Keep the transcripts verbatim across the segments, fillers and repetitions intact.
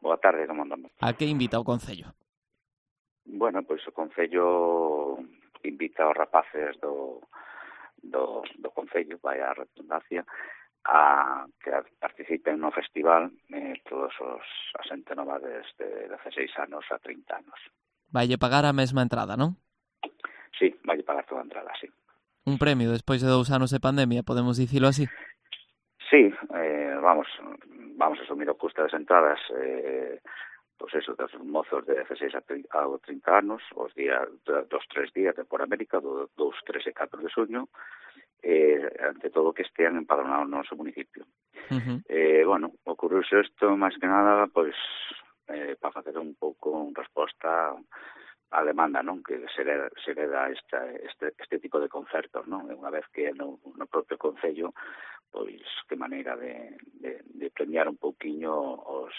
boa tarde, como andamos? A que invita o Concello? Bueno, pois o Concello invita aos rapaces do, do, do Concello, vai a redundancia, a que participen no festival eh, todos os as xente nova desde dezaseis anos a trinta anos. Vaille pagar a mesma entrada, non? Sí, vai pagar toda a entrada, sí. Un premio despois de dous anos de pandemia, podemos dicilo así? Sí, eh, vamos, vamos a asumir o custo das entradas, eh, pois eso, dos mozos de dezaseis a trinta anos, os días, dos tres días de por América, do dous, tres e catro de xuño, eh, ante todo que estean empadronados no noso municipio. Uh-huh. Eh, bueno, ocurriuse isto máis que nada, pois, eh, para facer un pouco en resposta a demanda, non? Que se le, se le dá esta, este, este tipo de concertos, non? Unha vez que no, no propio Concello, pois, que maneira de, de, de premiar un pouquiño os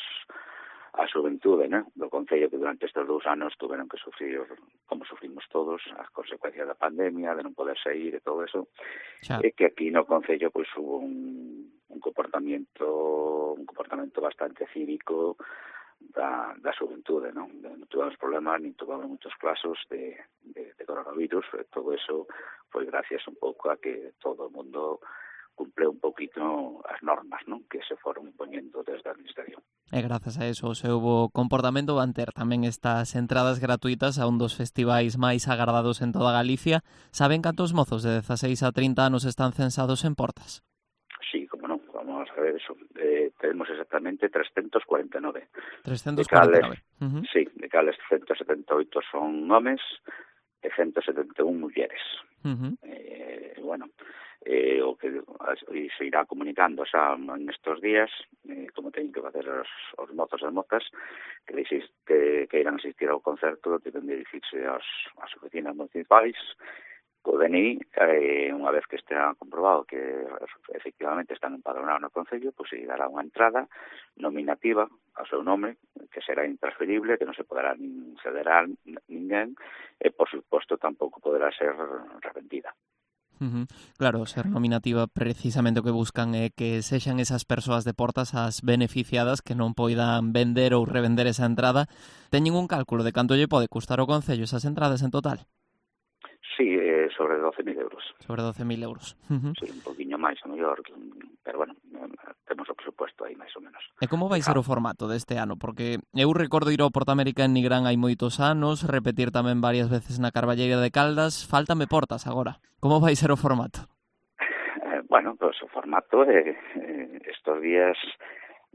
a xuventude, né? Do Concello, que durante estes dous anos tuveron que sufrir, como sufrimos todos, as consecuencias da pandemia, de non poder sair e todo eso, Xa. e que aquí no Concello pois hubo un, un comportamento un comportamento bastante cívico da, da xuventude, non? Non tuvemos problemas, nin tuvemos muchos casos de, de, de coronavirus, e todo eso foi gracias un pouco a que todo o mundo cumple un poquito as normas, non? Que se foron impoñendo desde a Administración. E grazas a eso o seu bo comportamento van ter tamén estas entradas gratuitas a un dos festivais máis agardados en toda Galicia. Saben cantos mozos de dezaseis a trinta anos están censados en Portas? Sí, como non, vamos a ver eso. Eh, tenemos exactamente trescentos cuarenta e nove. trescentos cuarenta e nove. Uh-huh. Sí, de cales ciento setenta e oito son homes e ciento setenta e un mulleres. Uh-huh. Eh, bueno, eh, o que se irá comunicando xa en estes días, eh, como teñen que facer os, os mozos e mozas que, que, que irán asistir ao concerto, deben dirigirse aos, ás oficinas municipais co D N I, eh, unha vez que estea comprobado que efectivamente están empadronados no Concello, pois se dará unha entrada nominativa ao seu nome, que será intransferible, que non se poderá nin ceder a ninguén, e, por suposto, tampouco poderá ser revendida. Uh-huh. Claro, ser nominativa precisamente o que buscan é que sexan esas persoas de Portas as beneficiadas que non poidan vender ou revender esa entrada. Teñen un cálculo de canto lle pode custar o Concello esas entradas en total? Sí, eh, sobre doce mil euros. Sobre doce mil euros. Uh-huh. Sí, un poquinho máis, a mellor, pero bueno, temos o presupuesto aí máis ou menos. E como vai ser o formato deste ano? Porque eu recordo ir ao Portamérica en Nigrán hai moitos anos, repetir tamén varias veces na Carballeira de Caldas, fáltame Portas agora. Como vai ser o formato? Eh, bueno, pois pues, o formato é eh, estos días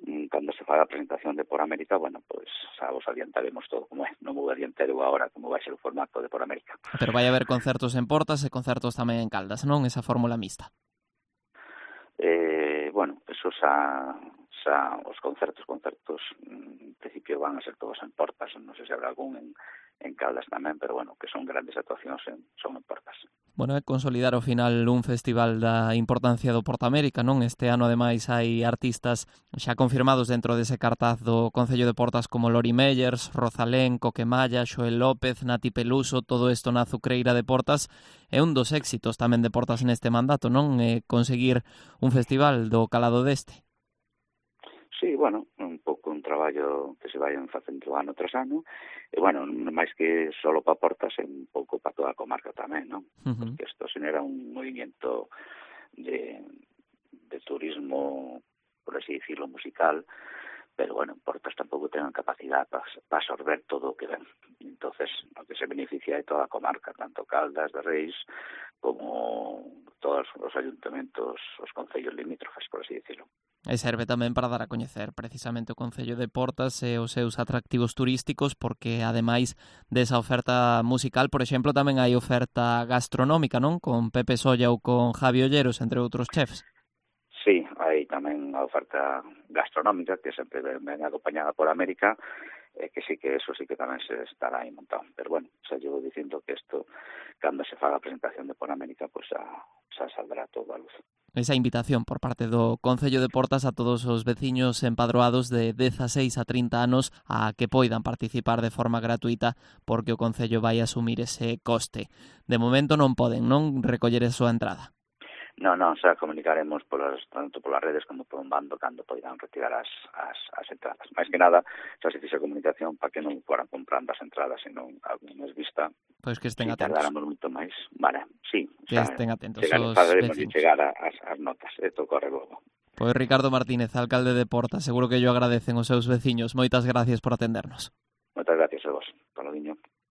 cando se faga a presentación de Por América, bueno, pois pues, xa vos adiantaremos todo como é. Non vou adiantar eu agora como vai ser o formato de Por América. Pero vai haber concertos en Portas e concertos tamén en Caldas, non? Esa fórmula mixta. Eh, bueno, eso xa, xa os concertos, concertos, en principio van a ser todos en Portas, non sei se habrá algún en, en Caldas tamén, pero bueno, que son grandes actuacións en, son en Portas. Bueno, é consolidar ao final un festival da importancia do Portamérica, non? Este ano, ademais, hai artistas xa confirmados dentro dese cartaz do Concello de Portas como Lori Meyers, Rosalén, Coquemalla, Xoel López, Nati Peluso, todo isto na Azucreira de Portas. É un dos éxitos tamén de Portas neste mandato, non? É conseguir un festival do calado deste. Sí, bueno, un pouco un traballo que se vayan facendo ano tras ano, e, bueno, máis que solo para Portas, é un pouco para toda a comarca tamén, non? Uh-huh. Porque isto genera un movimiento de, de turismo, por así decirlo, musical, pero, bueno, Portas tampouco ten capacidade para pa absorber todo o que ven. Entonces, o que se beneficia é toda a comarca, tanto Caldas de Reis como todos os ayuntamentos, os concellos limítrofes, por así decirlo. E serve tamén para dar a coñecer precisamente o Concello de Portas e os seus atractivos turísticos, porque ademais desa oferta musical, por exemplo, tamén hai oferta gastronómica, non? Con Pepe Solla ou con Javi Olleros, entre outros chefs. Sí, hai tamén a oferta gastronómica que sempre ven acompañada por América, e que sí que eso sí que tamén se estará aí montado. Pero bueno, xa llevo dicindo que isto, cando se faga a presentación de Por América, pues xa, xa saldrá todo a luz. Esa invitación por parte do Concello de Portas a todos os veciños empadroados de dezaseis a trinta anos a que poidan participar de forma gratuita, porque o Concello vai asumir ese coste. De momento non poden, non, recoller a súa entrada. Non, non, xa comunicaremos polas, tanto polas redes como por un bando cando poidan retirar as, as, as entradas. Mais que nada, xa se fixe a comunicación para que non foran comprando as entradas, senón algunhas vista. Pois que estén si atentos. tardáramos moito máis. Vale, sí. Que estén atentos chegar, os faceremos vecinos. chegar as, as notas, isto corre logo. Pois Ricardo Martínez, alcalde de Porta, seguro que yo agradecen os seus veciños. Moitas gracias por atendernos. Moitas gracias a vos, Palodiño.